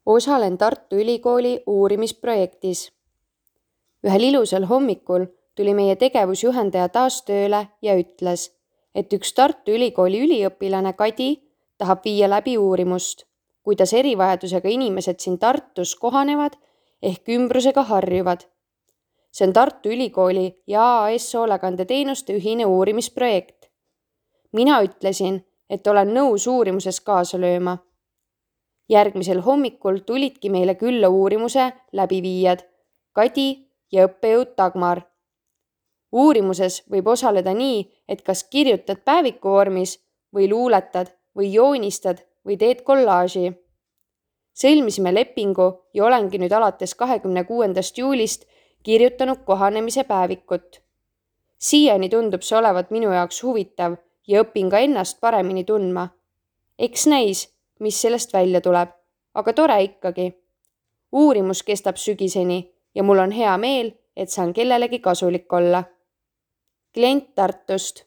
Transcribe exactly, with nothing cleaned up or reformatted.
Osalen Tartu Ülikooli uurimisprojektis. Ühel ilusal hommikul tuli meie tegevusjuhendaja taas tööle ja ütles, et üks Tartu Ülikooli üliõpilane Kadi tahab viia läbi uurimust, kuidas erivajadusega inimesed siin Tartus kohanevad ehk ümbrusega harjuvad. See on Tartu Ülikooli ja A A S hoolekandeteenuste ühine uurimisprojekt. Mina ütlesin, et olen nõus uurimuses kaasa lööma. Järgmisel hommikul tulidki meile külla uurimuse läbiviijad, Kadi ja õppejõud Dagmar. Uurimuses võib osaleda nii, et kas kirjutad päeviku vormis või luuletad või joonistad või teed kollaaži. Sõlmisime lepingu ja olengi nüüd alates kahekümne kuuendast juulist kirjutanud kohanemise päevikut. Siiani tundub see olevat minu jaoks huvitav ja õpin ka ennast paremini tundma. Eks näis, mis sellest välja tuleb, aga tore ikkagi. Uurimus kestab sügiseni ja mul on hea meel, et saan kellelegi kasulik olla. Klient Tartust.